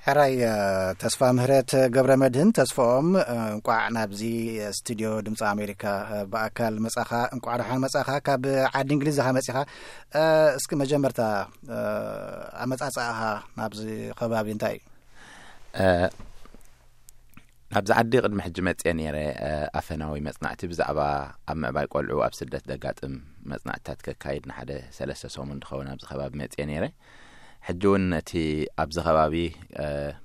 ሕራይ ተስፋ ምህረት ገብረ መድህን ተስፋኦም፣ እንቋዕ ናብዚ ስቱድዮ ድምፂ ኣሜሪካ ብኣካል መጻኻ። እንቋዕ ደሓን መጻኻ። ካብ ዓዲ እንግሊዝ ኢኻ መጺኻ። እስኪ መጀመርታ ኣመጻጽኣኻ ናብዚ ከባቢ እንታይ እዩ? ናብዚ ዓዲ ቅድሚ ሕጂ መፅየ ነይረ። ኣፈናዊ መፅናዕቲ ብዛዕባ ኣብ ምዕባይ ቆልዑ ኣብ ስደት ዘጋጥም መፅናዕትታት ከካይድ ንሓደ ሰለስተ ሰሙን ዝኸውን ኣብዚ ከባቢ መፅየ ነይረ። ሕጂ እውን ነቲ ኣብዚ ከባቢ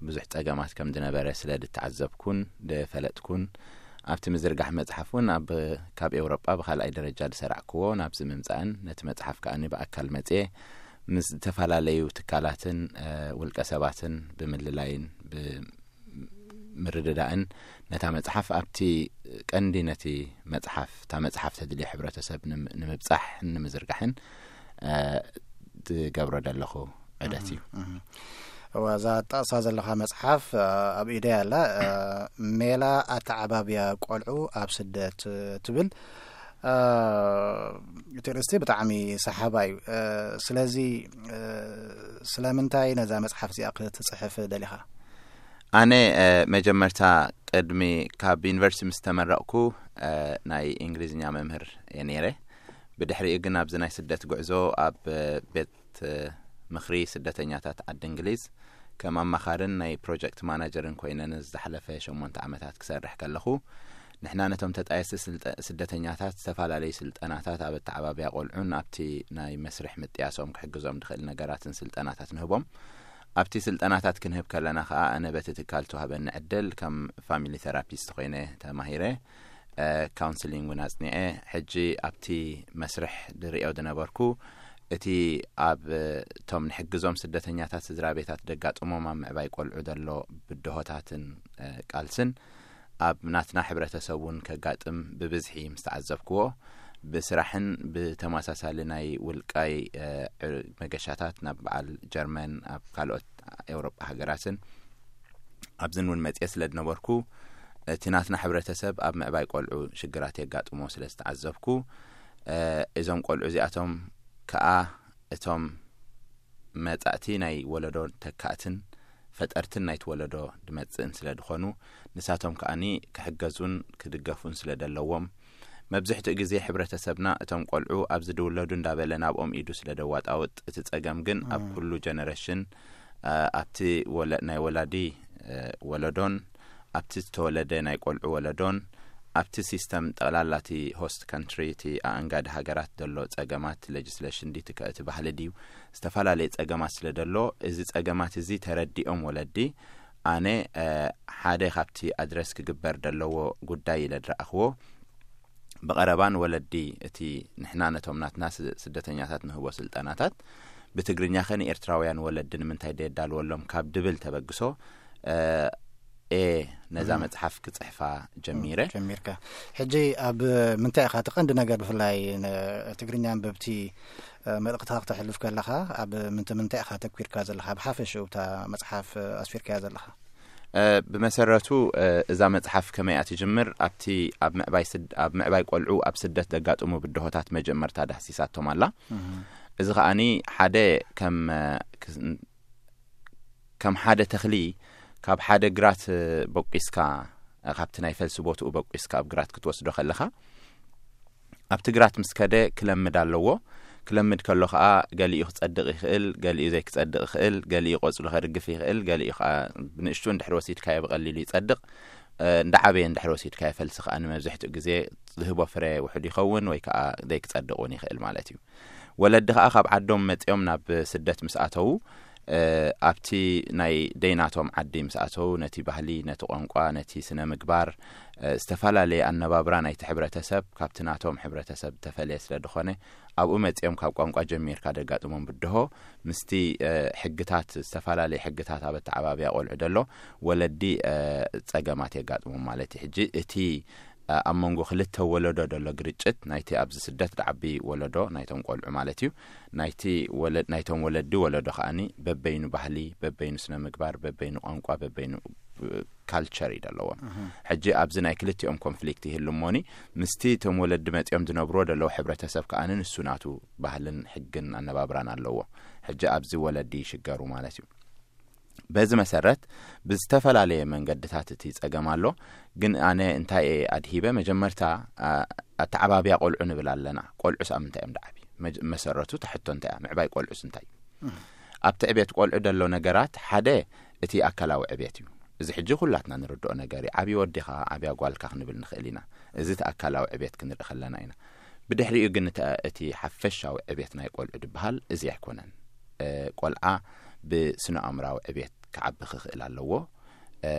ብዙሕ ፀገማት ከም ዝነበረ ስለ ዝተዓዘብኩን ዝፈለጥኩን፣ ኣብቲ ምዝርጋሕ መፅሓፍ እውን ኣብ ካብ ኤውሮጳ ብካልኣይ ደረጃ ዝሰራዕክዎ ናብዚ ምምፃእን ነቲ መፅሓፍ ከኣኒ ብኣካል መፅየ ምስ ዝተፈላለዩ ትካላትን ውልቀ ሰባትን ብምልላይን ብምርድዳእን ነታ መፅሓፍ ኣብቲ ቀንዲ ነቲ መፅሓፍ እታ መፅሓፍ ተድልዮ ሕብረተሰብ ንምብፃሕ ንምዝርጋሕን ዝገብሮ ዘለኹ ዕደት እዩ። እዋ እዛ ጠቕሳ ዘለኻ መፅሓፍ ኣብ ኢደይ ኣላ። ሜላ ኣተዓባብያ ቆልዑ ኣብ ስደት ትብል። እቲ ርእስቲ ብጣዕሚ ሰሓባ እዩ። ስለዚ ስለምንታይ ነዛ መፅሓፍ እዚኣ ክትፅሕፍ ደሊኻ? ኣነ መጀመርታ ቅድሚ ካብ ዩኒቨርሲቲ ምስ ተመረቕኩ ናይ እንግሊዝኛ መምህር እየ ነይረ። ብድሕሪኡ ግን ኣብዚ ናይ ስደት ጉዕዞ ኣብ ቤት ምኽሪ ስደተኛታት ዓዲ እንግሊዝ ከም ኣማኻርን ናይ ፕሮጀክት ማናጀርን ኮይነ ንዝሓለፈ ሸሞንተ ዓመታት ክሰርሕ ከለኹ፣ ንሕና ነቶም ተጣየስቲ ስደተኛታት ዝተፈላለዩ ስልጠናታት ኣብ ኣተዓባብያ ቆልዑን ኣብቲ ናይ መስርሕ ምጥያሶም ክሕግዞም ዝኽእል ነገራትን ስልጠናታት ንህቦም። ኣብቲ ስልጠናታት ክንህብ ከለና ከኣ ኣነ በቲ ትካል ተዋህበኒ ዕድል ከም ፋሚሊ ቴራፒስት ኮይነ ተማሂረ። ካውንስሊንግ እውን ኣፅኒዐ። ሕጂ ኣብቲ መስርሕ ዝርእዮ ዝነበርኩ እቲ ኣብ እቶም ንሕግዞም ስደተኛታት ስድራ ቤታት ዘጋጥሞም ኣብ ምዕባይ ቆልዑ ዘሎ ብድሆታትን ቃልስን ኣብ ናትና ሕብረተሰብ እውን ከጋጥም ብብዝሒ ምስ ተዓዘብክዎ፣ ብስራሕን ብተመሳሳሊ ናይ ውልቃይ መገሻታት ናብ በዓል ጀርመን ኣብ ካልኦት ኤውሮጳ ሃገራትን ኣብዝን እውን መፅየ ስለ ዝነበርኩ፣ እቲ ናትና ሕብረተሰብ ኣብ ምዕባይ ቆልዑ ሽግራት የጋጥሞ ስለ ዝተዓዘብኩ፣ እዞም ቆልዑ እዚኣቶም ከኣ እቶም መጻእቲ ናይ ወለዶ ተካእትን ፈጠርትን ናይቲ ወለዶ ዝመጽእን ስለ ዝኾኑ፣ ንሳቶም ከኣኒ ክሕገዙን ክድገፉን ስለ ዘለዎም፣ መብዝሕትኡ ግዜ ሕብረተሰብና እቶም ቆልዑ ኣብዚ ዝውለዱ እንዳበለ ናብኦም ኢዱ ስለ ደዋጣውጥ፣ እቲ ጸገም ግን ኣብ ኩሉ ጀነረሽን፣ ኣብቲ ናይ ወላዲ ወለዶን ኣብቲ ዝተወለደ ናይ ቆልዑ ወለዶን ኣብቲ ሲስተም ጠቕላላ እቲ ሆስት ካንትሪ፣ እቲ ኣኣንጋዲ ሃገራት ዘሎ ጸገማት፣ ሌጅስሌሽን ድዩ እቲ ባህሊ ድዩ፣ ዝተፈላለየ ጸገማት ስለ ዘሎ፣ እዚ ጸገማት እዚ ተረዲኦም ወለዲ፣ ኣነ ሓደ ካብቲ ኣድረስ ክግበር ዘለዎ ጉዳይ ኢለ ዝረኣኽዎ፣ ብቐረባ ንወለዲ እቲ ንሕና ነቶም ናትና ስደተኛታት ንህቦ ስልጠናታት ብትግርኛኸ ንኤርትራውያን ወለዲ ንምንታይ ደየዳልወሎም ካብ ድብል ተበግሶ፣ እየ ነዛ መጽሓፍ ክጽሕፋ ጀሚረ። ጀሚርካ። ሕጂ ኣብ ምንታይ ኢኻ እቲ ቀንዲ ነገር፣ ብፍላይ ንትግርኛ ኣንበብቲ መልእኽትኻ ክተሕልፍ ከለኻ ኣብ ምንታይ ኢኻ ተኪርካ ዘለኻ? ብሓፈሽኡ እታ መጽሓፍ ኣስፊርካያ ዘለኻ? ብመሰረቱ እዛ መጽሓፍ ከመይ እያ ትጅምር? ኣብቲ ኣብ ምዕባይ ቆልዑ ኣብ ስደት ዘጋጥሙ ብድሆታት መጀመርታ ዳህሲሳቶም ኣላ። እዚ ከኣኒ ሓደ ከም ከም ሓደ ተኽሊ ካብ ሓደ ግራት በቂስካ፣ ካብቲ ናይ ፈልሲ ቦትኡ በቂስካ ኣብ ግራት ክትወስዶ ከለኻ፣ ኣብቲ ግራት ምስ ከደ ክለምድ ኣለዎ። ክለምድ ከሎ ከኣ ገሊኡ ክጸድቕ ይኽእል፣ ገሊኡ ዘይክጸድቕ ይኽእል፣ ገሊኡ ቆጽሉ ከርግፍ ይኽእል፣ ገሊኡ ከኣ ብንእሽቱ እንድሕር ወሲድካዮ ብቐሊሉ ይጸድቕ። እንዳ ዓበየ እንድሕር ወሲድካዮ ፈልሲ ከኣ ንመብዝሕትኡ ግዜ ዝህቦ ፍረ ውሑድ ይኸውን ወይ ከኣ ዘይክጸድቕ እውን ይኽእል ማለት እዩ። ወለዲ ከኣ ካብ ዓዶም መጺኦም ናብ ስደት ምስ ኣተዉ፣ ኣብቲ ናይ ደይናቶም ዓዲ ምስ ኣተዉ፣ ነቲ ባህሊ፣ ነቲ ቋንቋ፣ ነቲ ስነ ምግባር፣ ዝተፈላለየ ኣነባብራ ናይቲ ሕብረተሰብ ካብቲ ናቶም ሕብረተሰብ ዝተፈለየ ስለ ዝኾነ፣ ኣብኡ መጺኦም ካብ ቋንቋ ጀሚርካ ደጋጥሞም ብድሆ ምስቲ ሕግታት፣ ዝተፈላለየ ሕግታት ኣብ ኣተዓባብያ ቆልዑ ደሎ ወለዲ ጸገማት የጋጥሞም ማለት እዩ። ሕጂ እቲ ኣብ መንጎ ክልተ ወለዶ ደሎ ግርጭት ናይቲ ኣብዚ ስደት ዝዓቢ ወለዶ ናይቶም ቆልዑ ማለት እዩ። ናይቲ ወለ ናይቶም ወለዲ ወለዶ ከኣኒ በበይኑ ባህሊ፣ በበይኑ ስነ ምግባር፣ በበይኑ ቋንቋ፣ በበይኑ ካልቸር እዩ ዘለዎም። ሕጂ ኣብዚ ናይ ክልቲኦም ኮንፍሊክት ይህሉ እሞኒ ምስቲ እቶም ወለዲ መጺኦም ዝነብርዎ ዘለዉ ሕብረተሰብ ከኣኒ ንሱ ናቱ ባህልን ሕግን ኣነባብራን ኣለዎ። ሕጂ ኣብዚ ወለዲ ይሽገሩ ማለት እዩ። በዚ መሰረት ብዝተፈላለየ መንገድታት እቲ ጸገም ኣሎ። ግን ኣነ እንታይ እየ ኣድሂበ? መጀመርታ፣ ኣ-፣ ኣተዓባብያ ቆልዑ ንብል ኣለና። ቆልዑስ ኣብ ምንታይ እዮም ደዓቢ? መጀ-፣ መሰረቱ ተሕቶ እንታይ እያ? ምዕባይ ቆልዑስ እንታይ እዩ? ኣብቲ ዕቤት ቆልዑ ዘሎ ነገራት ሓደ እቲ ኣካላዊ ዕቤት እዩ። እዚ ሕጂ ኩላትና ንርድኦ ነገር እዩ። ዓብዪ ወዲኻ፣ ዓብያ ጓልካ ክንብል ንኽእል ኢና። እዚ እቲ ኣካላዊ ዕቤት ክንርኢ ከለና ኢና። ብድሕሪኡ ግን እተ-፣ እቲ ሓፈሻዊ ዕቤት ናይ ቆልዑ ዝበሃል እዚ ኣይኮነን። እ፣ ቆልዓ ብስነ ኣእምራዊ ዕቤት ክዓቢ ክኽእል ኣለዎ። እ፣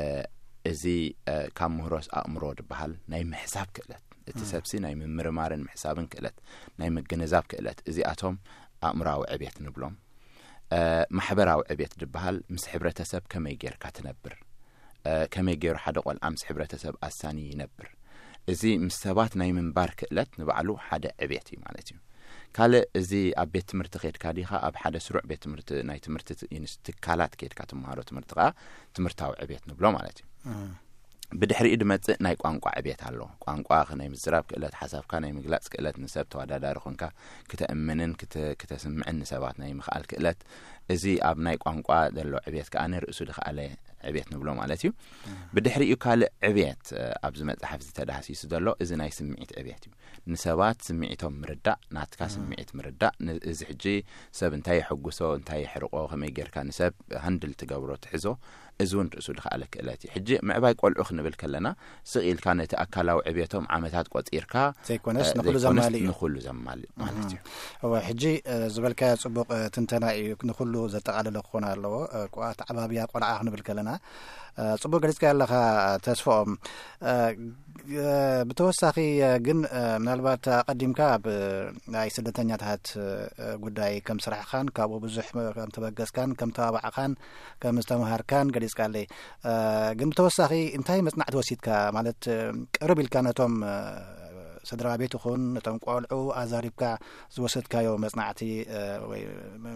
እዚ፣ እ፣ ካብ ምህሮስ ኣእምሮ ዝበሃል ናይ ምሕሳብ ክእለት፣ እቲ እም። ሰብሲ ናይ ምምርማርን ምሕሳብን ክእለት፣ ናይ ምግንዛብ ክእለት፣ እዚኣቶም ኣእምራዊ ዕቤት ንብሎም። እ፣ ማሕበራዊ ዕቤት ዝበሃል ምስ ሕብረተሰብ ከመይ ጌርካ ትነብር፣ እ፣ ከመይ ገይሩ ሓደ ቆልዓ ምስ ሕብረተሰብ ኣሳኒ ይነብር። እዚ ምስ ሰባት ናይ ምንባር ክእለት ንባዕሉ ሓደ ዕቤት እዩ ማለት እዩ። ካልእ፣ እዚ ኣብ ቤት ትምህርቲ ኬድካ ዲኻ፣ ኣብ ሓደ ስሩዕ ቤት ትምህርቲ፣ ናይ ትምህርቲ ት-፣ ኢንስ-፣ ትካላት ኬድካ ትመሃሮ ትምህርቲ ከኣ ትምህርታዊ ዕቤት ንብሎ ማለት እዩ። እም። ብድሕሪኡ ድመጽእ ናይ ቋንቋ ዕቤት ኣሎ። ቋንቋ ናይ ምዝራብ ክእለት፣ ሓሳብካ ናይ ምግላጽ ክእለት፣ ንሰብ ተወዳዳሪ ኮንካ ክተእምንን ክተ-፣ ክተስምዕን ንሰባት ናይ ምኽኣል ክእለት፣ እዚ ኣብ ናይ ቋንቋ ዘሎ ዕቤት ከኣ ንርእሱ ድኸኣለ ዕቤት ንብሎ ማለት እዩ። እም። ብድሕሪኡ ካልእ ዕቤት፣ እ፣ ኣብዚ መጽሓፍ እዚ ተዳህሲሱ ዘሎ እዚ ናይ ስምዒት ዕቤት እዩ። ንሰባት ስምዒቶም ምርዳእ፣ ናትካ እም። ስምዒት ምርዳእ፣ ን-፣ እዚ ሕጂ ሰብ እንታይ የሐጉሶ፣ እንታይ የሕርቆ፣ ከመይ ጌርካ ንሰብ ሃንድል ትገብሮ፣ ትሕዞ፣ እዚ እውን ርእሱ ድኸኣለ ክእለት እዩ። ሕጂ ምዕባይ ቆልዑ ክንብል ከለና፣ ስቕ ኢልካ ነቲ ኣካላዊ ዕቤቶም ዓመታት ቆጺርካ፣ ዘይኮነስ እ፣ ንኹሉ ዘይኮነስ ዘማልእ እዩ። ንኹሉ ዘማልእ ማለት እዩ። እወ፣ ሕጂ፣ እ፣ ዝበልካዮ ጽቡቕ፣ እ፣ ትንተና እዩ። ንኹሉ ዘጠቓለለ ክኾን ኣለዎ። እ፣ ቋ-፣ ኣተዓባብያ ቆልዓ ክንብል ከለና፣ እ፣ ጽቡቕ ገሊጽካዮ ኣለኻ ተስፍኦም። እ፣ እ፣ ብተወሳኺ፣ እ፣ ግን፣ እ፣ ምናልባት ኣቐዲምካ ኣብ ናይ ስደተኛታት፣ እ፣ ጉዳይ ከም ስራሕኻን ካብኡ ብዙሕ ከም ተበገስካን ከም ተባባዕኻን ከም ዝተምሃርካን ገሊጽካለይ። እ፣ ግን ብተወሳኺ እንታይ መጽናዕቲ ወሲድካ? ማለት፣ እ፣ ቅርብ ኢልካ ነቶም፣ እ፣ ስድራ ቤት ይኹን ነቶም ቆልዑ ኣዛሪብካ ዝወሰድካዮ መጽናዕቲ፣ እ፣ ወይ፣ እ፣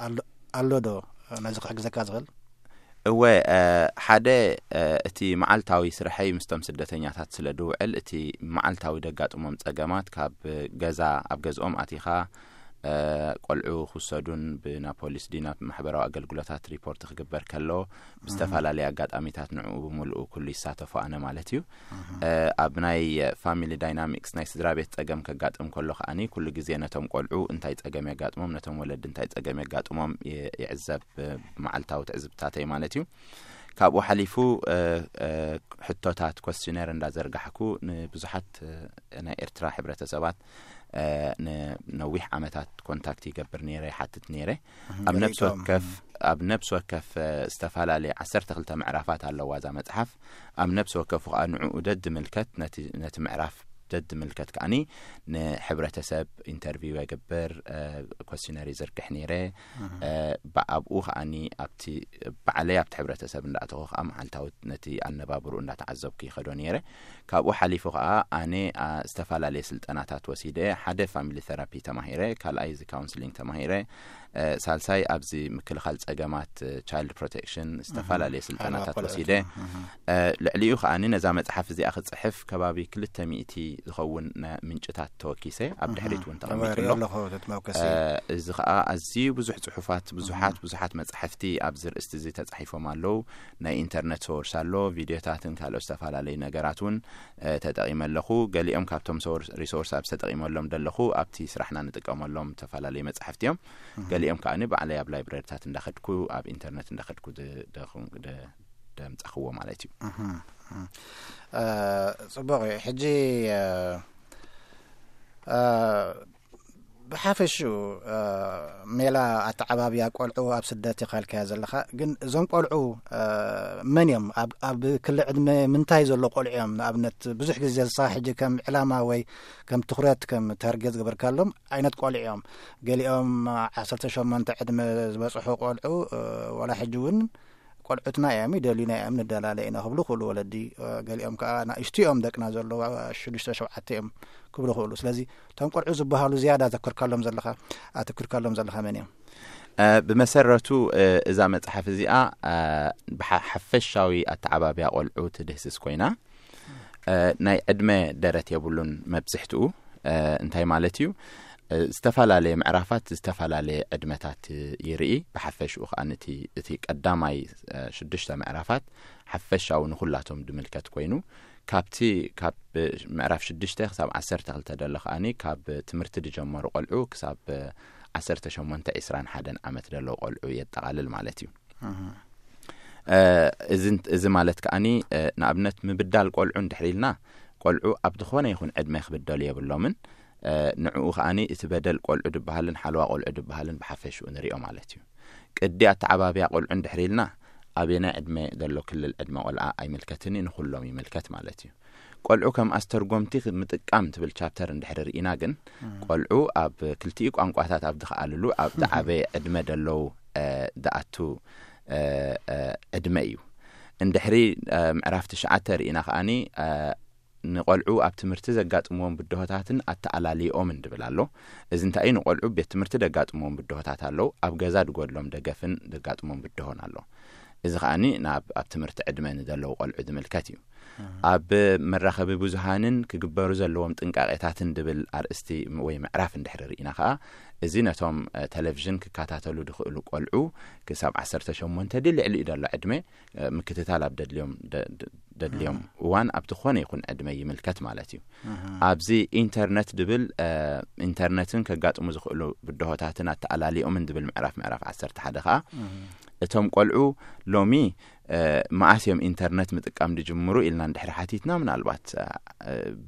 ኣሎ፣ ኣሎ ዶ ነዚ ክሕግዘካ ዝኽእል? እወ፣ እ፣ ሓደ፣ እ፣ እቲ መዓልታዊ ስርሐይ ምስቶም ስደተኛታት ስለ ድውዕል፣ እቲ መዓልታዊ ደጋጥሞም ጸገማት ካብ ገዛ፣ ኣብ ገዝኦም ኣቲኻ፣ እ፣ ቆልዑ ክውሰዱን ብናብ ፖሊስ ድዩ ናብ ማሕበራዊ ኣገልግሎታት ሪፖርት ክግበር ከሎ፣ ብዝተፈላለየ ኣጋጣሚታት ንዕኡ ብምልኡ ኩሉ ይሳተፎ ኣነ ማለት እዩ። እህ። እ፣ ኣብ ናይ ፋሚሊ ዳይናሚክስ ናይ ስድራ ቤት ጸገም ከጋጥም ከሎ ከኣኒ ኩሉ ግዜ ነቶም ቆልዑ እንታይ ጸገም የጋጥሞም፣ ነቶም ወለዲ እንታይ ጸገም የጋጥሞም ይ-፣ ይዕዘብ፣ እ፣ ብመዓልታዊ ትዕዝብታተይ ማለት እዩ። ካብኡ ሓሊፉ፣ እ፣ እ፣ ሕቶታት ኮስችነር እንዳዘርጋሕኩ ንብዙሓት፣ እ፣ ናይ ኤርትራ ሕብረተሰባት፣ እ፣ ንነዊሕ ዓመታት ኮንታክት ይገብር ነይረ፣ ይሓትት ነይረ። እህ፣ ኣብ ነብሲ ገሊኦም፣ ወከፍ፣ እህ። ኣብ ነብሲ ወከፍ፣ እ፣ ዝተፈላለየ ዓሰርተ ክልተ ምዕራፋት ኣለዋ እዛ መጽሓፍ። ኣብ ነብሲ ወከፉ ከኣ ንዕኡ ደድምልከት ነቲ፣ ነቲ ምዕራፍ ደድምልከት ከኣኒ ንሕብረተሰብ ኢንተርቪው የግብር፣ እ፣ ኮስችነር ይዝርግሕ ነይረ። እህ። እ፣ ብ-፣ ኣብኡ ከኣኒ ኣብቲ ባዕለይ ኣብቲ ሕብረተሰብ እንዳእተኹ ከኣ መዓልታዊ ነቲ ኣነባብርኡ እንዳተዓዘብኩ ይኸዶ ነይረ። ካብኡ ሓሊፉ ከኣ ኣነ፣ ኣ፣ ዝተፈላለየ ስልጠናታት ወሲደ፣ ሓደ ፋሚሊ ቴራፒ ተማሂረ፣ ካልኣይ እዚ ካውንስሊንግ ተማሂረ፣ እ፣ ሳልሳይ ኣብዚ ምክልኻል ጸገማት፣ እ፣ ቻይልድ ፕሮቴክሽን ዝተፈላለየ እህ። ስልጠናታት ሓለዋ ወሲደ። ቆልዑ። እህ። እ፣ ልዕሊኡ ከኣኒ ነዛ መጽሓፍ እዚኣ ክጽሕፍ ከባቢ ክልተ ሚእቲ ዝኸውን ነ-፣ ምንጭታት ተወኪሰ፣ ኣብ እህ። ድሕሪት እውን ተቐሚጡ እወ፣ ኣሎ። ኣለኹ፣ እቲ መውከሲ። እ፣ እዚ ከኣ ኣዝዩ ብዙሕ ጽሑፋት፣ ብዙሓት፣ እህ። ብዙሓት መጻሕፍቲ ኣብዚ ርእስቲ እዚ ተጻሒፎም ኣለዉ። ናይ ኢንተርነት ሶርስ ኣሎ፣ ቪድዮታትን ካልኦት ዝተፈላለዩ ነገራት እውን፣ እ፣ ተጠቒመ ኣለኹ። ገሊኦም ካብቶም ሶርስ፣ ሪሶርስ ኣብዚ ተጠቒመሎም ዘለኹ ኣብቲ ስራሕና ንጥቀመሎም ዝተፈላለዩ መጻሕፍቲ እዮም። እህ። ገሊኦም ከኣኒ ባዕለይ ኣብ ላይብረሪታት እንዳኸድኩ፣ ኣብ ኢንተርነት እንዳኸድኩ ድ-፣ ደኹም-፣ ደ-፣ ደምጻኽዎ ማለት እዩ። እህ፣ እህ። እ፣ ጽቡቕ እዩ። ሕጂ፣ እ፣ እ፣ ብሓፈሽኡ፣ እ፣ ሜላ ኣተዓባብያ ቆልዑ ኣብ ስደት ኢኻ ኢልካዮ ዘለኻ፣ ግን እዞም ቆልዑ፣ እ፣ መን እዮም? ኣብ፣ ኣብ ክሊ ዕድመ ምንታይ ዘሎ ቆልዑ እዮም? ንኣብነት ብዙሕ ግዜ ንስኻ ሕጂ ከም ዕላማ ወይ ከም ትኹረት፣ ከም ታርጌት ዝገበርካሎም ዓይነት ቆልዑ እዮም። ገሊኦም ዓሰርተ ሸሞንተ ዕድመ ዝበጽሑ ቆልዑ፣ እ፣ ዋላ ሕጂ እውን ቆልዑትና እዮም፣ ይደልዩና እዮም፣ ንደላለ ኢና ክብሉ ክእሉ ወለዲ፣ እ፣ ገሊኦም ከኣ ንኣሽቱ እዮም ደቅና ዘለዉ፣ ሽዱሽተ ሸውዓተ እዮም ክብሉ ክእሉ። ስለዚ እቶም ቆልዑ ዝበሃሉ ዝያዳ ኣተኩርካሎም ዘለኻ፣ ኣተኩርካሎም ዘለኻ መን እዮም? እ፣ ብመሰረቱ፣ እ፣ እዛ መጽሓፍ እዚኣ፣ እ፣ ብሓ-፣ ሓፈሻዊ ኣተዓባብያ ቆልዑ ትድህስስ ኮይና፣ እ፣ ናይ ዕድመ ደረት የብሉን መብዝሕትኡ። እ፣ እንታይ ማለት እዩ? ዝተፈላለየ ምዕራፋት ዝተፈላለየ ዕድመታት ይርኢ። ብሓፈሽኡ ከኣ እቲ ቀዳማይ ሽዱሽተ ምዕራፋት ሓፈሻዊ ንኹላቶም ድምልከት ኮይኑ፣ ካብቲ ካብ ምዕራፍ ሽዱሽተ ክሳብ ዓሰርተ ክልተ ደሎ ከኣ ካብ ትምህርቲ ዝጀመሩ ቆልዑ ክሳብ ዓሰርተ ሸሞንተ ዒስራን ሓደን ዓመት ደለዉ ቆልዑ የጠቓልል ማለት እዩ። እዚ ማለት ከኣ ንኣብነት ምብዳል ቆልዑ እንድሕር ኢልና፣ ቆልዑ ኣብ ዝኾነ ይኹን ዕድመ ክብደሉ የብሎምን። ንዕኡ ከኣ እቲ በደል ቆልዑ ዝበሃልን ሓለዋ ቆልዑ ዝበሃልን ብሓፈሽኡ ንሪኦ ማለት እዩ። ቅዲ ኣተዓባብያ ቆልዑ እንድሕር ኢልና፣ ኣበየናይ ዕድመ ዘሎ ክልል ዕድመ ቆልዓ ኣይምልከትን እዩ፣ ንኹሎም ይምልከት ማለት እዩ። ቆልዑ ከም ኣስተርጎምቲ ምጥቃም ትብል ቻፕተር እንድሕር ርኢና ግን፣ ቆልዑ ኣብ ክልቲኡ ቋንቋታት ኣብ ዝኸኣልሉ ኣብ ዝዓበየ ዕድመ ዘለዉ ዝኣቱ ዕድመ እዩ። እንድሕሪ ምዕራፍ ትሽዓተ ርኢና ከኣ ንቆልዑ ኣብ ትምህርቲ ዘጋጥምዎም ብድሆታትን ኣተኣላልይኦምን ድብል ኣሎ። እዚ እንታይ እዩ? ንቆልዑ ቤት ትምህርቲ ደጋጥምዎም ብድሆታት ኣለዉ፣ ኣብ ገዛ ድጎድሎም ደገፍን ደጋጥሞም ብድሆን ኣሎ። እዚ ከኣ ናብ ኣብ ትምህርቲ ዕድመ ንዘለዉ ቆልዑ ዝምልከት እዩ። ኣብ መራኸቢ ብዙሃንን ክግበሩ ዘለዎም ጥንቃቄታትን ድብል ኣርእስቲ ወይ ምዕራፍ እንድሕር ርኢና ከኣ፣ እዚ ነቶም ቴሌቪዥን ክከታተሉ ድኽእሉ ቆልዑ ክሳብ ዓሰርተ ሸሞንተ ድልዕሊ እዩ ዘሎ ዕድመ ምክትታል ኣብ ደድልዮም ደድልዮም እዋን ኣብ ዝኾነ ይኹን ዕድመ ይምልከት ማለት እዩ። ኣብዚ ኢንተርነት ድብል ኢንተርነትን ከጋጥሙ ዝኽእሉ ብድሆታትን ኣተኣላልዮምን ድብል ምዕራፍ ምዕራፍ ዓሰርተ ሓደ ከኣ፣ እቶም ቆልዑ ሎሚ መኣስ እዮም ኢንተርነት ምጥቃም ድጅምሩ ኢልና እንድሕሪ ሓቲትና፣ ምናልባት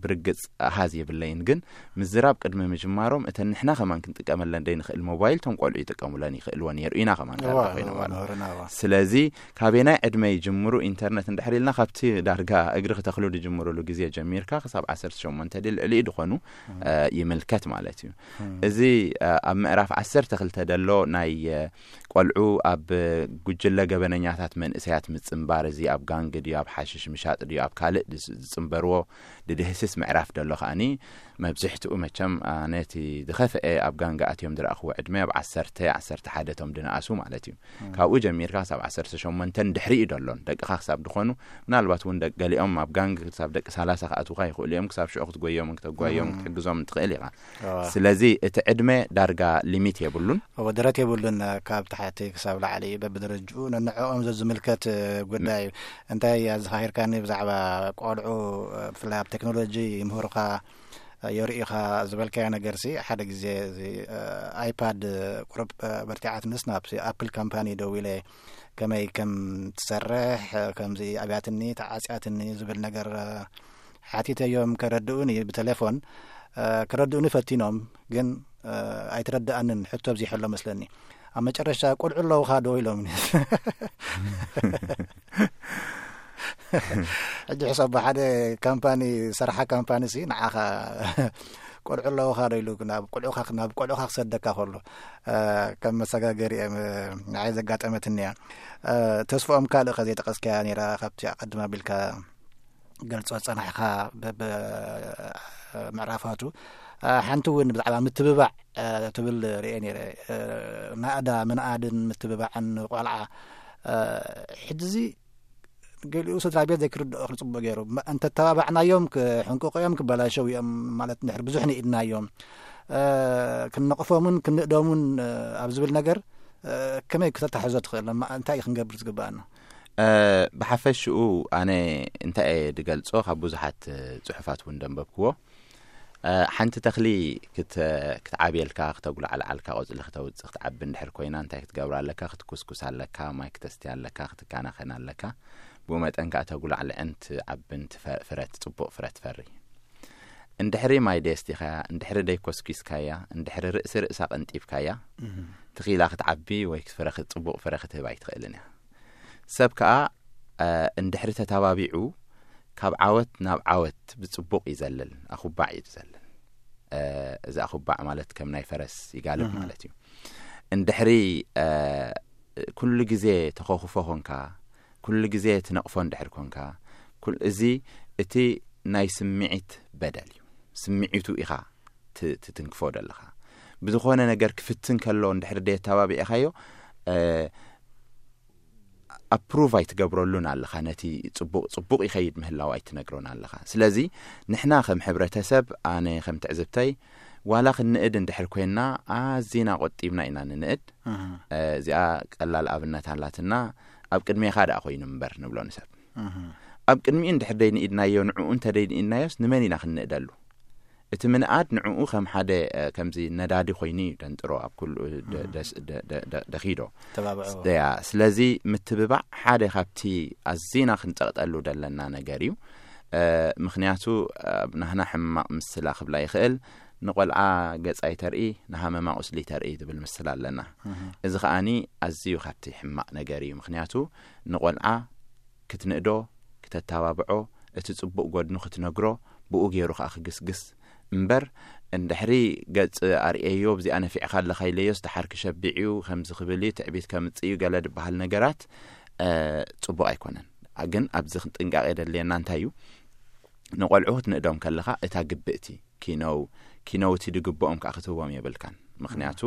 ብርግጽ ኣሃዝ የብለይን፣ ግን ምዝራብ ቅድሚ ምጅማሮም እተን ንሕና ከማን ክንጥቀመለን ደይ ንኽእል ሞባይል ቶም ቆልዑ ይጥቀሙለን ይኽእልዎ ነይሩ ኢና ከማን ዳርጋ ኮይኖም ኣለዉ። ስለዚ ካበየናይ ዕድመ ይጅምሩ ኢንተርነት እንድሕር ኢልና፣ ካብቲ ዳርጋ እግሪ ክተኽሉ ድጅምሩሉ ግዜ ጀሚርካ ክሳብ ዓሰርተ ሸሞንተ ድልዕሊኡ ድኾኑ ይምልከት ማለት እዩ። እዚ ኣብ ምዕራፍ ዓሰርተ ክልተ ደሎ ናይ ቆልዑ ኣብ ጉጅለ ገበነኛታት መንእሰያት ምጽንባር፣ እዚ ኣብ ጋንግ ድዩ፣ ኣብ ሓሽሽ ምሻጥ ድዩ፣ ኣብ ካልእ ዝጽንበርዎ ድድህስስ ምዕራፍ ደሎ ከኣኒ፣ መብዝሕትኡ መቸም ኣነ እቲ ዝኸፍአ ኣብ ጋንግ ኣትዮም ዝረኣኽዎ ዕድመ ኣብ ዓሰርተ፣ ዓሰርተ ሓደ ቶም ድነኣሱ ማለት እዩ። ካብኡ ጀሚርካ ክሳብ ዓሰርተ ሸሞንተ ድሕሪኡ ደሎን ደቅኻ ክሳብ ድኾኑ፣ ምናልባት እውን ደቂ ገሊኦም ኣብ ጋንግ ክሳብ ደቂ ሰላሳ ክኣትውካ ይኽእሉ እዮም። ክሳብ ሽዑ ክትጎዮምን ክተጓዮምን ክትሕግዞምን ትኽእል ኢኻ። ስለዚ እቲ ዕድመ ዳርጋ ሊሚት የብሉን። እወ፣ ደረት የብሉን። ካብ ታሕቲ ክሳብ ላዕሊ በብደረጅኡ ነንዕኦም ዘዝምልከት ጉዳይ እዩ። እንታይ ኣዘኻኺርካኒ ብዛዕባ ቆልዑ፣ ብፍላይ ኣብ ቴክኖሎጂ ይምህሩኻ፣ የርእዩኻ ዝበልካዮ ነገርሲ፣ ሓደ ግዜ እዚ ኣይፓድ ቁሩብ በርቲዓትንስ ናብቲ ኣፕል ካምፓኒ ደዊለ ከመይ ከም ትሰርሕ፣ ከምዚ ኣብያትኒ ተዓጽያትኒ ዝብል ነገር ሓቲተዮም ከረድኡኒ ብቴሌፎን። ከረድኡኒ ፈቲኖም፣ ግን ኣይተረድኣንን፣ ሕቶ ኣብዚሐ ኣሎ መስለኒ። ኣብ መጨረሻ "ቁልዑ ኣለውኻ ዶ?" ኢሎምኒ። ሕጂ ሕሰብ፣ ሓደ ካምፓኒ፣ ሰርሓ ካምፓኒ ሲ ንዓኻ "ቁልዑ ኣለውኻ ዶ?" ኢሉ ናብ ቁልዑኻ፣ ናብ ቁልዑኻ ክሰደካ ከሎ፣ ከም መሰጋገሪ እየ ንዓይ ዘጋጠመትኒ እያ። ተስፍኦም፣ ካልእ ከ ዘይጠቀስካያ ነይራ ካብቲ ኣቐድም ኣቢልካ ገልጾ ጸናሕካ በብ ምዕራፋቱ። ሓንቲ እውን ብዛዕባ ምትብባዕ ትብል ርእየ ነይረ። ናእዳ ምንኣድን ምትብባዕን ቆልዓ። ሕጂ እዚ ገሊኡ ስድራ ቤት ዘይክርድኦ ክጽቡቅ ገይሩ፣ እንተተባባዕናዮም ክሕንቅቑ እዮም፣ ክበላሸው እዮም ማለት እንድሕር ብዙሕ ንኢድናዮም፣ ክንነቕፎምን ክንእደሙን ኣብ ዝብል ነገር ከመይ ክተታሕዞ ትኽእል? እንታይ እዩ ክንገብር ዝግባኣና? ብሓፈሽኡ ኣነ እንታይ እየ ድገልጾ፣ ካብ ብዙሓት ጽሑፋት እውን ደንበብክዎ። ሓንቲ ተኽሊ ክትዓብየልካ፣ ክተጉላዕልዓልካ፣ ቆጽሊ ክተውጽእ፣ ክትዓቢ እንድሕር ኮይና፣ እንታይ ክትገብራ ኣለካ? ክትኩስኩስ ኣለካ፣ ማይ ክተስትያ ኣለካ፣ ክትከናኸን ኣለካ። ብኡ መጠን ከኣ ተጉላዕልዕን ትዓብን ፍረ ትጽቡቕ ፍረ ትፈሪ። እንድሕሪ ማይ ደየስቲኻያ፣ እንድሕሪ ደይኮስኪስካያ፣ እንድሕሪ ርእሲ ርእሳ ቀንጢብካያ፣ ትኺላ ክትዓቢ ወይ ፍረ ጽቡቕ ፍረ ክትህብ ኣይትኽእልን እያ። ሰብ ከኣ እንድሕሪ ተታባቢዑ፣ ካብ ዓወት ናብ ዓወት ብጽቡቕ ይዘልል፣ ኣኹባዕ እዩ ዝዘልል። እዚ ኣኹባዕ ማለት ከም ናይ ፈረስ ይጋልብ ማለት እዩ። እንድሕሪ ኩሉ ግዜ ተኸኹፎ ኮንካ፣ ኩሉ ግዜ ትነቕፎ እንድሕር ኮንካ፣ እዚ እቲ ናይ ስምዒት በደል እዩ። ስምዒቱ ኢኻ ትትንክፎ ዘለኻ። ብዝኾነ ነገር ክፍትን ከሎ እንድሕር ደየተባቢዕኻዮ፣ ኣፕሩቭ ኣይትገብረሉን ኣለኻ። ነቲ ጽቡቕ ጽቡቕ ይኸይድ ምህላው ኣይትነግሮን ኣለኻ። ስለዚ ንሕና ከም ሕብረተሰብ፣ ኣነ ከም ትዕዝብተይ፣ ዋላ ክንእድ እንድሕር ኮይንና ኣዚና ቆጢብና ኢና ንንእድ። እዚኣ ቀላል ኣብነት ኣላትና። ኣብ ቅድሜኻ ደኣ ኮይኑ እምበር ንብሎ ንሰብ። ኣብ ቅድሚኡ እንድሕር ደይንኢድናዮ፣ ንዕኡ እንተ ደይንኢድናዮስ ንመን ኢና ክንንእደሉ? እቲ ምንኣድ ንዕኡ ከም ሓደ ከምዚ ነዳዲ ኮይኑ እዩ ደንጥሮ ኣብ ኩሉ ደኺዶ። ያ ስለዚ ምትብባዕ ሓደ ካብቲ ኣዚና ክንጸቕጠሉ ደለና ነገር እዩ። ምክንያቱ ናህና ሕማቕ ምስላ ክብላ ይኽእል። ንቆልዓ ገጻ ይተርኢ፣ ንሃመማ ቁስሊ ይተርኢ ዝብል ምስላ ኣለና። እዚ ከኣኒ ኣዝዩ ካብቲ ሕማቕ ነገር እዩ። ምክንያቱ ንቆልዓ ክትንእዶ፣ ክተተባብዖ፣ እቲ ጽቡቕ ጎድኑ ክትነግሮ፣ ብኡ ገይሩ ከኣ ክግስግስ እምበር፣ እንድሕሪ ገጽ ኣርእየዮ፣ ብዚኣ ነፊዕካ ኣለኻ ኢለዮስ፣ ደሓር ክሸቢዕ እዩ፣ ከምዚ ክብል እዩ፣ ትዕቢት ከምጽእ እዩ፣ ገለ ዝበሃል ነገራት ጽቡቕ ኣይኮነን። ግን ኣብዚ ጥንቃቄ ደድልየና እንታይ እዩ? ንቆልዑ ክትንእዶም ከለኻ እታ ግብእቲ ኪነው ኪነውቲ ድግብኦም ከኣ ክትህቦም የብልካን። ምክንያቱ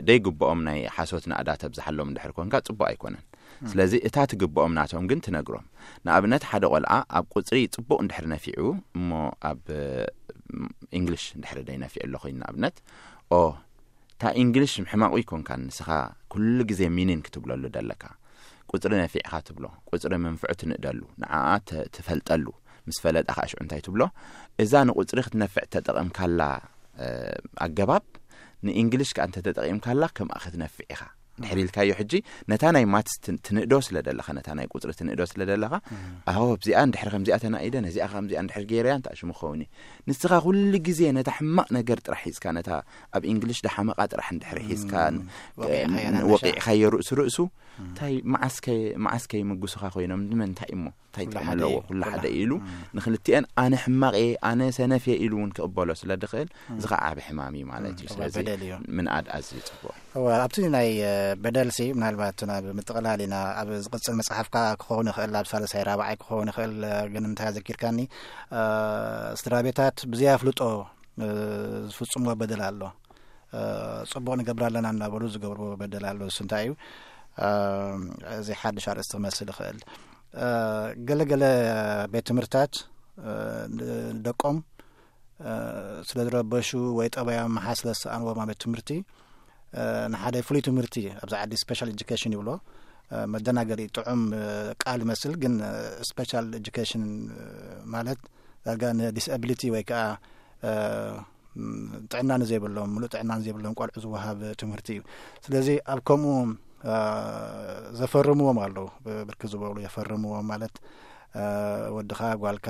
ደይግብኦም ናይ ሓሶት ናእዳ ተብዝሓሎም እንድሕር ኮንካ ጽቡቕ ኣይኮነን። ስለዚ እታ ትግብኦም ናቶም ግን ትነግሮም። ንኣብነት ሓደ ቆልዓ ኣብ ቁጽሪ ጽቡቕ እንድሕር ነፊዑ እሞ ኣብ እንግሊሽ እንድሕር ደይነፊዑ ኣሎ ኮይኑ ንኣብነት ኦ እታ እንግሊሽ ሕማቑ ይኮንካን ንስኻ ኩሉ ግዜ ሚኒን ክትብለሉ ደለካ። ቁጽሪ ነፊዕኻ ትብሎ፣ ቁጽሪ ምንፍዑ ትንእደሉ፣ ንዓኣ ትፈልጠሉ፣ ምስ ፈለጣ ከዓ ሽዑ እንታይ ትብሎ? እዛ ንቁጽሪ ክትነፍዕ ተጠቐምካላ ኣገባብ ንእንግሊሽ ከዓ እንተተጠቒምካላ ከምኣ ክትነፍዕ ኢኻ። ድሕር ኢልካዮ ሕጂ ነታ ናይ ማትስ ትንእዶ ስለ ደለኻ፣ ነታ ናይ ቁፅሪ ትንእዶ ስለ ደለኻ፣ ኣዎ ኣብዚኣ እንድሕር ከምዚኣ ተናኢደ፣ ነዚኣ ከምዚኣ እንድሕር ገይረያ እንታይ ሽሙ ክኸውን እዩ? ንስኻ ኩሉ ግዜ ነታ ሕማቕ ነገር ጥራሕ ሒዝካ፣ ነታ ኣብ እንግሊሽ ደሓመቓ ጥራሕ እንድሕር ሒዝካ ወቂዕካዮ ርእሱ ርእሱ እንታይ መዓስከ መዓስከ ይምጉስኻ ኮይኖም ንምንታይ እሞ እንታይ ጥቕሚ ኣለዎ? ኩላ ሓደ ኢሉ ንክልቲአን ኣነ ሕማቕ እየ ኣነ ሰነፍ እየ ኢሉ እውን ክቕበሎ ስለ ድኽእል እዚ ከዓ ዓቢ ሕማም እዩ ማለት እዩ። ስለዚ ምንኣድ ኣዝዩ ጽቡቕ። እወ ኣብቲ ናይ በደልሲ ምናልባት ናብ ምጥቕላል ኢና ኣብ ዝቕጽል መጽሓፍካ ክኸውን ይኽእል ኣብ ሳልሳይ ራብዓይ ክኸውን ይኽእል። ግን እንታይ ኣዘኪርካኒ ስድራ ቤታት ብዘይ ኣፍልጦ ዝፍጽምዎ በደል ኣሎ። ጽቡቕ ንገብር ኣለና እናበሉ ዝገብርዎ በደል ኣሎ። እሱ እንታይ እዩ? እዚ ሓድሽ ኣርእስቲ ክመስል ይኽእል። ገለገለ ቤት ትምህርትታት ደቆም ስለ ዝረበሹ ወይ ጠባዮም ምሓ ስለ ዝሰኣንዎም ኣብ ቤት ትምህርቲ ንሓደ ፍሉይ ትምህርቲ ኣብዚ ዓዲ special education ይብሎ። መደናገሪ ጥዑም ቃል ይመስል ግን special education ማለት ዳርጋ ንዲስኣብሊቲ ወይ ከዓ ጥዕና ንዘይብሎም ምሉእ ጥዕና ንዘይብሎም ቆልዑ ዝወሃብ ትምህርቲ እዩ። ስለዚ ኣብ ከምኡ ዘፈርምዎም ኣለዉ። ብርክ ዝበሉ የፈርምዎም ማለት ወድኻ ጓልካ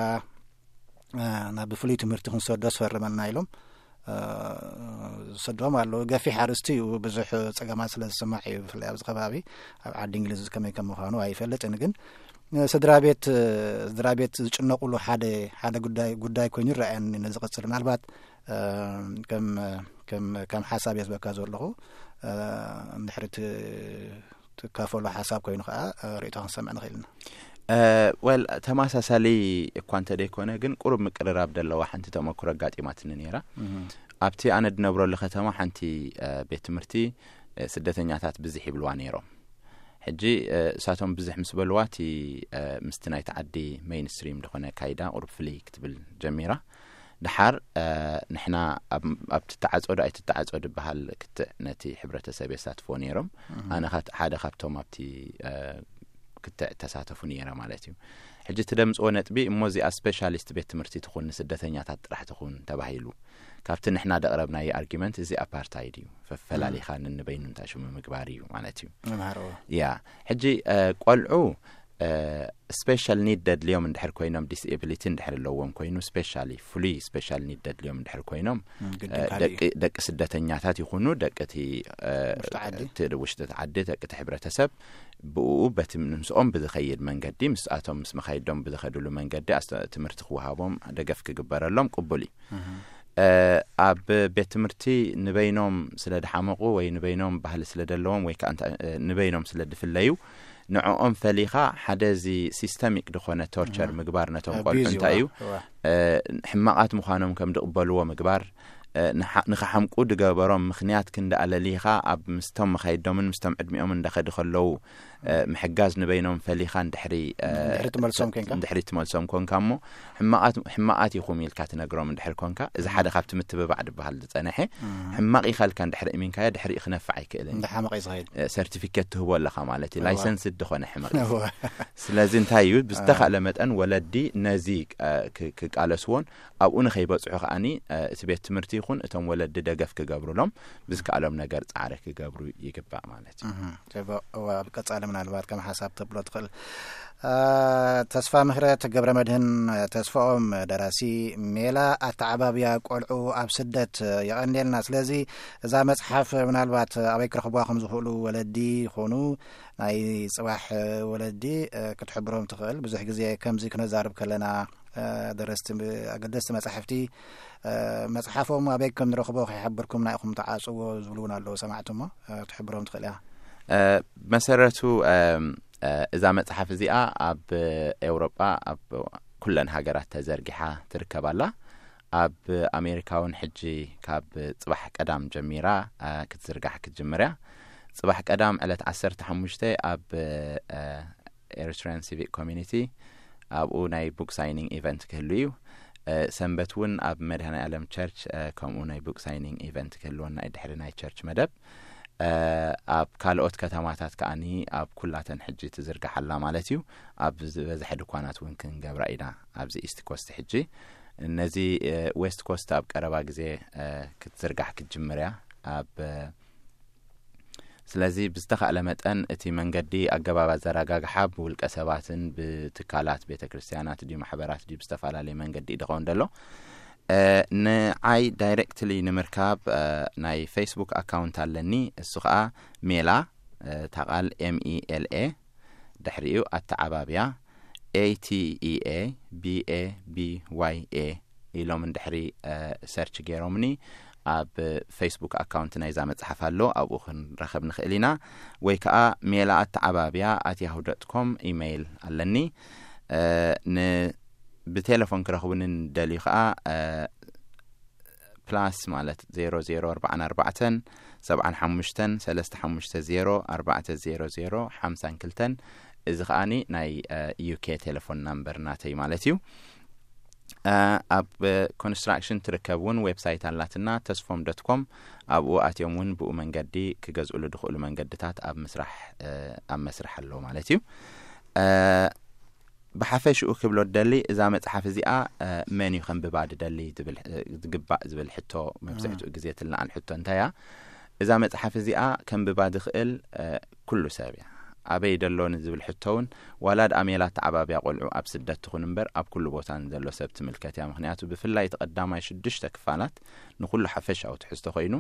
ናብ ፍሉይ ትምህርቲ ክንሰዶ ዝፈርመልና ኢሎም ዝሰድዎም ኣለዉ። ገፊሕ ኣርእስቲ እዩ። ብዙሕ ጸገማት ስለ ዝስማዕ እዩ። ብፍላይ ኣብዚ ከባቢ ኣብ ዓዲ እንግሊዝ ከመይ ከም ምዃኑ ኣይፈልጥን። ግን ስድራ ቤት ስድራ ቤት ዝጭነቁሉ ሓደ ሓደ ጉዳይ ጉዳይ ኮይኑ ይረኣየኒ። ነዚ ቀጽል ምናልባት ከም ከም ከም ሓሳብ የዝበካ ዘለኹ እንድሕሪ ትካፈሎ ሓሳብ ኮይኑ ከዓ ርእቶ ክንሰምዕ ንኽእል ኢና። ወል ተመሳሳሊ እኳ እንተ ደይኮነ ግን ቁሩብ ምቅርራብ ደለዋ ሓንቲ ተመክሮ ኣጋጢማትኒ ነይራ። ኣብቲ ኣነ ድነብረሉ ከተማ ሓንቲ ቤት ትምህርቲ ስደተኛታት ብዝሕ ይብልዋ ነይሮም። ሕጂ እሳቶም ብዝሕ ምስ በልዋ እቲ ምስቲ ናይቲ ዓዲ ሜይንስትሪም ዝኾነ ካይዳ ቁሩብ ፍልይ ክትብል ጀሚራ። ድሓር ንሕና ኣብ ትተዓፀዶ ኣይትተዓፀዶ ድበሃል ክትዕ ነቲ ሕብረተሰብ የሳትፎ ነይሮም። ኣነ ሓደ ካብቶም ኣብቲ ክትዕ ተሳተፉ ነይረ ማለት እዩ። ሕጂ እቲ ደምፅዎ ነጥቢ እሞ እዚኣ ስፔሻሊስት ቤት ትምህርቲ ትኹን ንስደተኛታት ጥራሕ ትኹን ተባሂሉ ካብቲ ንሕና ደቕረብናዮ ኣርጊመንት እዚ ኣፓርታይድ እዩ። ፈፈላሊኻ ንንበይኑ እንታይ ሽሙ ምግባር እዩ ማለት እዩ። ያ ሕጂ ቆልዑ ስፔሻል ኒድ ደድልዮም እንድሕር ኮይኖም ዲስኤቢሊቲ እንድሕር ኣለዎም ኮይኑ ስፔሻሊ ፍሉይ ስፔሻል ኒድ ደድልዮም እንድሕር ኮይኖም ደቂ ስደተኛታት ይኹኑ ደቂ እቲ ውሽጢ ዓዲ ደቂ እቲ ሕብረተሰብ ብኡ በቲ ምስኦም ብዝኸይድ መንገዲ ምስኣቶም ምስ መኻይዶም ብዝኸድሉ መንገዲ ትምህርቲ ክወሃቦም ደገፍ ክግበረሎም ቅቡል እዩ። ኣብ ቤት ትምህርቲ ንበይኖም ስለ ድሓመቑ ወይ ንበይኖም ባህሊ ስለ ደለዎም ወይ ከዓ ንበይኖም ስለ ድፍለዩ ንዕኦም ፈሊኻ ሓደ እዚ ሲስተሚክ ዝኾነ ቶርቸር ምግባር ነቶም ቆልዑ እንታይ እዩ ሕማቓት ምዃኖም ከም ድቕበልዎ ምግባር እ፣ ንሓ-፣ ንኸሓምቁ ድገበሮም ምኽንያት ክንዲ ኣለሊኻ ኣብ ምስቶም መኻይዶምን ምስቶም ዕድሚኦም እንዳኸዱ ከለዉ፣ እ፣ ምሕጋዝ ንበይኖም ፈሊኻ እንድሕሪ፣ እ፣ እንድሕሪ ትመልሶም ኮንካ? እንድሕሪ ትመልሶም ኮንካ እሞ፣ ሕማቓት፣ ሕማቓት ኢኹም ኢልካ ትነግሮም እንድሕሪ ኮንካ፣ እዚ ሓደ ካብቲ ምትብባዕ ድበሃል ዝጸንሐ፣ ሕማቕ ኢኻ ኢልካ እንድሕሪ እሚንካዮ፣ ድሕሪኡ ክነፍዕ ኣይክእልን እዩ። እንዳ ሓመቐ እዩ ዝኸይድ። እ፣ ሰርቲፊኬት ትህቦ ኣለኻ ማለት እዩ። እዋ። ላይሰንስ ዝኾነ ሕመቕ እዩ። እዋ። ስለዚ እንታይ እዩ፣ ብዝተኻእለ መጠን ወለዲ ነዚ፣ እ፣ ክ-፣ ክቃለስዎን ኣብኡ ንኸይበጽሑ ከኣኒ፣ እ፣ እቲ ቤት ትምህርቲ ይኹን እቶም ወለዲ ደገፍ ክገብሩሎም ብዝከኣሎም ነገር ጻዕሪ ክገብሩ ይግባእ ማለት እዩ። እህ፣ ጽቡቕ። እዋ፣ ኣብ ቀጻሊ ምናልባት ከም ሓሳብ ተብሎ ትኽእል። እ፣ ተስፋ ምህረት ገብረ መድህን ተስፋኦም፣ ደራሲ ሜላ ኣተዓባብያ ቆልዑ ኣብ ስደት፣ የቐንየልና። ስለዚ እዛ መጽሓፍ ምናልባት ኣበይ ክረኽቡዋ ከም ዝኽእሉ ወለዲ ይኾኑ፣ ናይ ጽባሕ ወለዲ፣ እ፣ ክትሕብሮም ትኽእል። ብዙሕ ግዜ ከምዚ ክነዛርብ ከለና፣ እ፣ ደረስቲ ብ-፣ ኣገደስቲ መጻሕፍቲ፣ እ፣ መጽሓፎም ኣበይ ከም ንረኽቦ ከይሓበርኩምና ኢኹም ተዓጽዎ ዝብሉ እውን ኣለዉ ሰማዕቲ እሞ፣ እ፣ ክትሕብሮም ትኽእል ኢኻ። እ፣ መሰረቱ፣ እም፣ እ፣ እዛ መጽሓፍ እዚኣ ኣብ ኤውሮጳ ኣብ ኩለን ሃገራት ተዘርጊሓ ትርከብ ኣላ። ኣብ ኣሜሪካ እውን ሕጂ ካብ ጽባሕ ቀዳም ጀሚራ፣ እ፣ ክትዝርጋሕ ክትጅምር እያ። ጽባሕ ቀዳም ዕለት ዓሰርተ ሓሙሽተ ኣብ፣ እ፣ ኤሪትሪያን ሲቪክ ኮሚኒቲ ኣብኡ ናይ ቡክ ሳይኒንግ ኢቨንት ክህሉ እዩ። እ፣ ሰንበት እውን ኣብ መድኃኔ ዓለም ቸርች፣ እ፣ ከምኡ ናይ ቡክ ሳይኒንግ ኢቨንት ክህልወና እዩ ድሕሪ ናይ ቸርች መደብ። እ፣ ኣብ ካልኦት ከተማታት ከኣኒ ኣብ ኩላተን ሕጂ ትዝርጋሕ ኣላ ማለት እዩ። ኣብ ዝበዝሐ ድኳናት እውን ክንገብራ ኢና ኣብዚ ኢስት ኮስት ሕጂ። ነዚ፣ እ፣ ዌስት ኮስት ኣብ ቀረባ ግዜ፣ እ፣ ክትዝርጋሕ ክትጅምር እያ። ኣብ፣ እ፣ ስለዚ ብዝተኻእለ መጠን እቲ መንገዲ ኣገባብ ኣዘራጋግሓ ብውልቀ ሰባትን ብትካላት ቤተ ክርስቲያናት ድዩ ማሕበራት ድዩ ብዝተፈላለየ መንገዲ እዩ ዝኸውን ዘሎ። እ፣ ንዓይ ዳይሬክትሊ ንምርካብ፣ እ፣ ናይ ፌስቡክ ኣካውንት ኣለኒ። እሱ ኸኣ ሜላ፣ እ፣ እታ ቃል ኤም ኢ ኤል ኤ፣ ድሕሪኡ ኣተዓባብያ፣ ኤ ቲ ኢ ኤ ቢ ኤ ቢ ዋይ ኤ ኢሎም እንድሕሪ፣ እ፣ ሰርች ገይሮምኒ ኣብ ፌስቡክ ኣካውንት ናይዛ መጽሓፍ ኣሎ፣ ኣብኡ ክንራኸብ ንኽእል ኢና። ወይ ከኣ ሜላ ኣተዓባብያ ኣት ያሁ ዶት ኮም ኢሜይል ኣለኒ። እ፣ ን-፣ ብቴሌፎን ክረኽቡኒ ንደልዩ ከኣ፣ እ፣ ፕላስ ማለት ዜሮ ዜሮ ኣርባዓን ኣርባዕተን ሰብዓን ሓሙሽተን ሰለስተ ሓሙሽተ ዜሮ ኣርባዕተ ዜሮ ዜሮ ሓምሳን ክልተን፣ እዚ ከኣኒ ናይ፣ እ፣ ዩ ኬ ቴሌፎን ናምበር ናተይ ማለት እዩ። እ፣ ኣብ ኮንስትራክሽን ትርከብ እውን ዌብሳይት ኣላትና፣ ተስፎም ዶት ኮም። ኣብኡ ኣትዮም እውን ብኡ መንገዲ ክገዝኡሉ ዝኽእሉ መንገድታት ኣብ ምስራሕ፣ እ፣ ኣብ መስርሕ ኣለዉ ማለት እዩ። እ፣ ብሓፈሽኡ ክብሎ ደሊ፣ እዛ መጽሓፍ እዚኣ፣ እ፣ መን እዩ ከንብባ ድደሊ ዝብል፣ እ፣ ዝግባእ ዝብል ሕቶ መብዛሕትኡ ግዜ ትለዓል ሕቶ እንታይ እያ? እዛ መጽሓፍ እዚኣ ከንብባ ዝኽእል፣ እ፣ ኩሉ ሰብ እያ። ኣበይ ደሎ ንዝብል ሕቶ እውን፣ ዋላ ደኣ ሜላ ኣተዓባብያ ቆልዑ ኣብ ስደት ትኹን እምበር፣ ኣብ ኩሉ ቦታ ንዘሎ ሰብ ትምልከት እያ። ምኽንያቱ ብፍላይ እቲ ቀዳማይ ሽዱሽተ ክፋላት ንኹሉ ሓፈሻዊ ትሕዝቶ ኮይኑ፣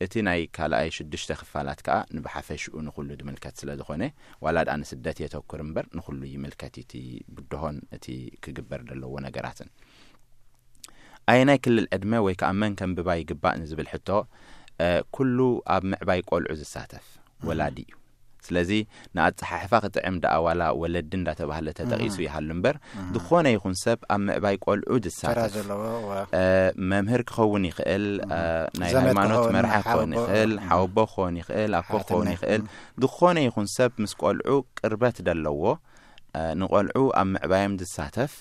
እቲ ናይ ካልኣይ ሽዱሽተ ክፋላት ከኣ ንብሓፈሽኡ ንኹሉ ዝምልከት ስለ ዝኾነ፣ ዋላ ደኣ ንስደት የተኩር እምበር ንኹሉ ይምልከት እዩ እቲ ብድሆን እቲ ክግበር ዘለዎ ነገራትን። ኣየናይ ክልል ዕድመ ወይ ከኣ መን ከንብባ ይግባእ ንዝብል ሕቶ፣ እ፣ ኩሉ ኣብ ምዕባይ ቆልዑ ዝሳተፍ ወላዲ እዩ። ስለዚ ንኣጸሓሕፋ ክጥዕም ደኣ ዋላ ወለዲ እንዳተባህለ ተጠቒሱ ይሃሉ እምበር፣ ዝኾነ ይኹን ሰብ ኣብ ምዕባይ ቆልዑ ተራ ዝሳተፍ፣ ዘለዎ፣ እዋ። እ፣ መምህር ክኸውን ይኽእል፣ እ፣ ናይ ዘመድ ሃይማኖት ክኸውን፣ መርሓ ክኸውን ሓወቦ፣ ይኽእል፣ ሓወቦ ክኸውን ይኽእል፣ ኣኮ ክኸውን ሓትነ። ይኽእል፣ ዝኾነ ይኹን ሰብ ምስ ቆልዑ ቅርበት ደለዎ፣ እ፣ ንቆልዑ ኣብ ምዕባዮም ዝሳተፍ፣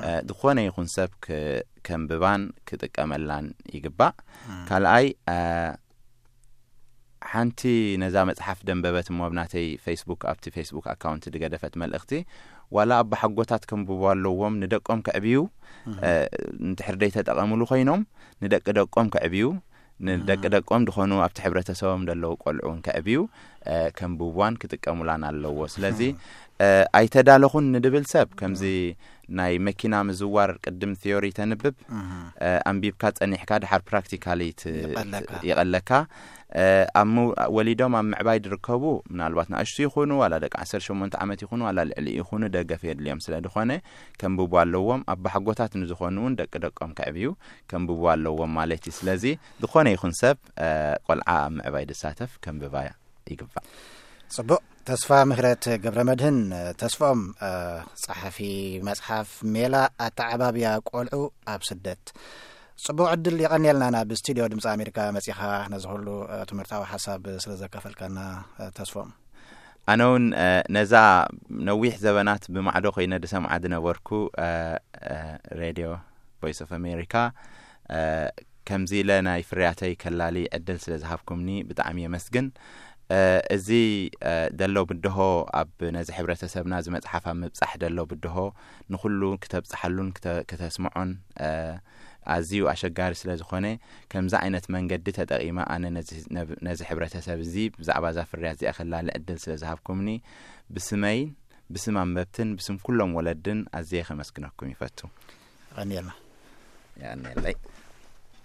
እ፣ ዝኾነ ይኹን ሰብ ክ-፣ ከንብባን ክጥቀመላን ይግባእ። ካልኣይ፣ እ፣ ሓንቲ ነዛ መጽሓፍ ደንበበት እሞ ኣብ ናተይ ፌስቡክ፣ ኣብቲ ፌስቡክ ኣካውንት ዝገደፈት መልእኽቲ፣ ዋላ ኣባሓጎታት ከንብቡ ኣለዎም፣ ንደቆም ከዕብዩ፣ እ፣ እንድሕር ደይተጠቐምሉ ኮይኖም፣ ንደቂ ደቆም ከዕብዩ፣ ንደቂ ደቆም ዝኾኑ ኣብቲ ሕብረተሰቦም ዘለዉ ቆልዑ እውን ከዕብዩ፣ እ፣ ከንብብዋን ክጥቀሙላን ኣለዎ። ስለዚ፣ እ፣ ኣይተዳለኹን ንድብል ሰብ፣ ከምዚ ናይ መኪና ምዝዋር ቅድም ቲዮሪ ተንብብ፣ እ፣ ኣንቢብካ ጸኒሕካ ድሓር ፕራክቲካሊ ት-፣ ይቐለካ። ይቐለካ። እ፣ ኣብ ምው-፣ ወሊዶም ኣብ ምዕባይ ዝርከቡ፣ ምናልባት ንኣሽቱ ይኹኑ፣ ዋላ ደቂ ዓሰርተ ሸሞንተ ዓመት ይኹኑ፣ ዋላ ልዕሊ ይኹኑ፣ ደገፍ የድልዮም ስለ ዝኾነ፣ ከንብቡ ኣለዎም። ኣባሓጎታት ንዝኾኑ እውን ደቂ ደቆም ከዕብዩ ከንብቡ ኣለዎም ማለት እዩ። ስለዚ ዝኾነ ይኹን ሰብ፣ እ፣ ቆልዓ ኣብ ምዕባይ ዝሳተፍ ከንብባ ይግባእ። ጽቡቕ። ተስፋ ምህረት ገብረ መድህን ተስፋኦም፣ እ፣ ጸሓፊ መጽሓፍ ሜላ ኣተዓባብያ ቆልዑ ኣብ ስደት። ጽቡቕ ዕድል። የቐንየልና ናብ ስቱድዮ ድምፂ ኣሜሪካ መጺኻ ነዚ ኩሉ ትምህርታዊ ሓሳብ ስለ ዘካፈልካና ተስፎም። ኣነ እውን ነዛ ነዊሕ ዘበናት ብማዕዶ ኮይነ ዝሰምዓ ዝነበርኩ ሬድዮ ቮይስ ኦፍ ኣሜሪካ ከምዚ ኢለ ናይ ፍርያተይ ከላሊ ዕድል ስለ ዝሃብኩምኒ ብጣዕሚ የመስግን። እዚ ደሎ ብድሆ ኣብ ነዚ ሕብረተሰብና እዚ መፅሓፍ ኣብ ምብፃሕ ደሎ ብድሆ ንኩሉ ክተብፅሓሉን ክተ- ክተስምዖን ኣዝዩ ኣሸጋሪ ስለ ዝኾነ ከምዚ ዓይነት መንገዲ ተጠቒመ ኣነ ነዚ- ነብ- ነዚ ሕብረተሰብ እዚ ብዛዕባ እዛ ፍርያት እዚኣ ከላሊ ዕድል ስለ ዝሃብኩምኒ ብስመይን ብስም ኣንበብትን ብስም ኩሎም ወለድን ኣዝየ ከመስግነኩም ይፈቱ። ቀንየልና። ያኔለይ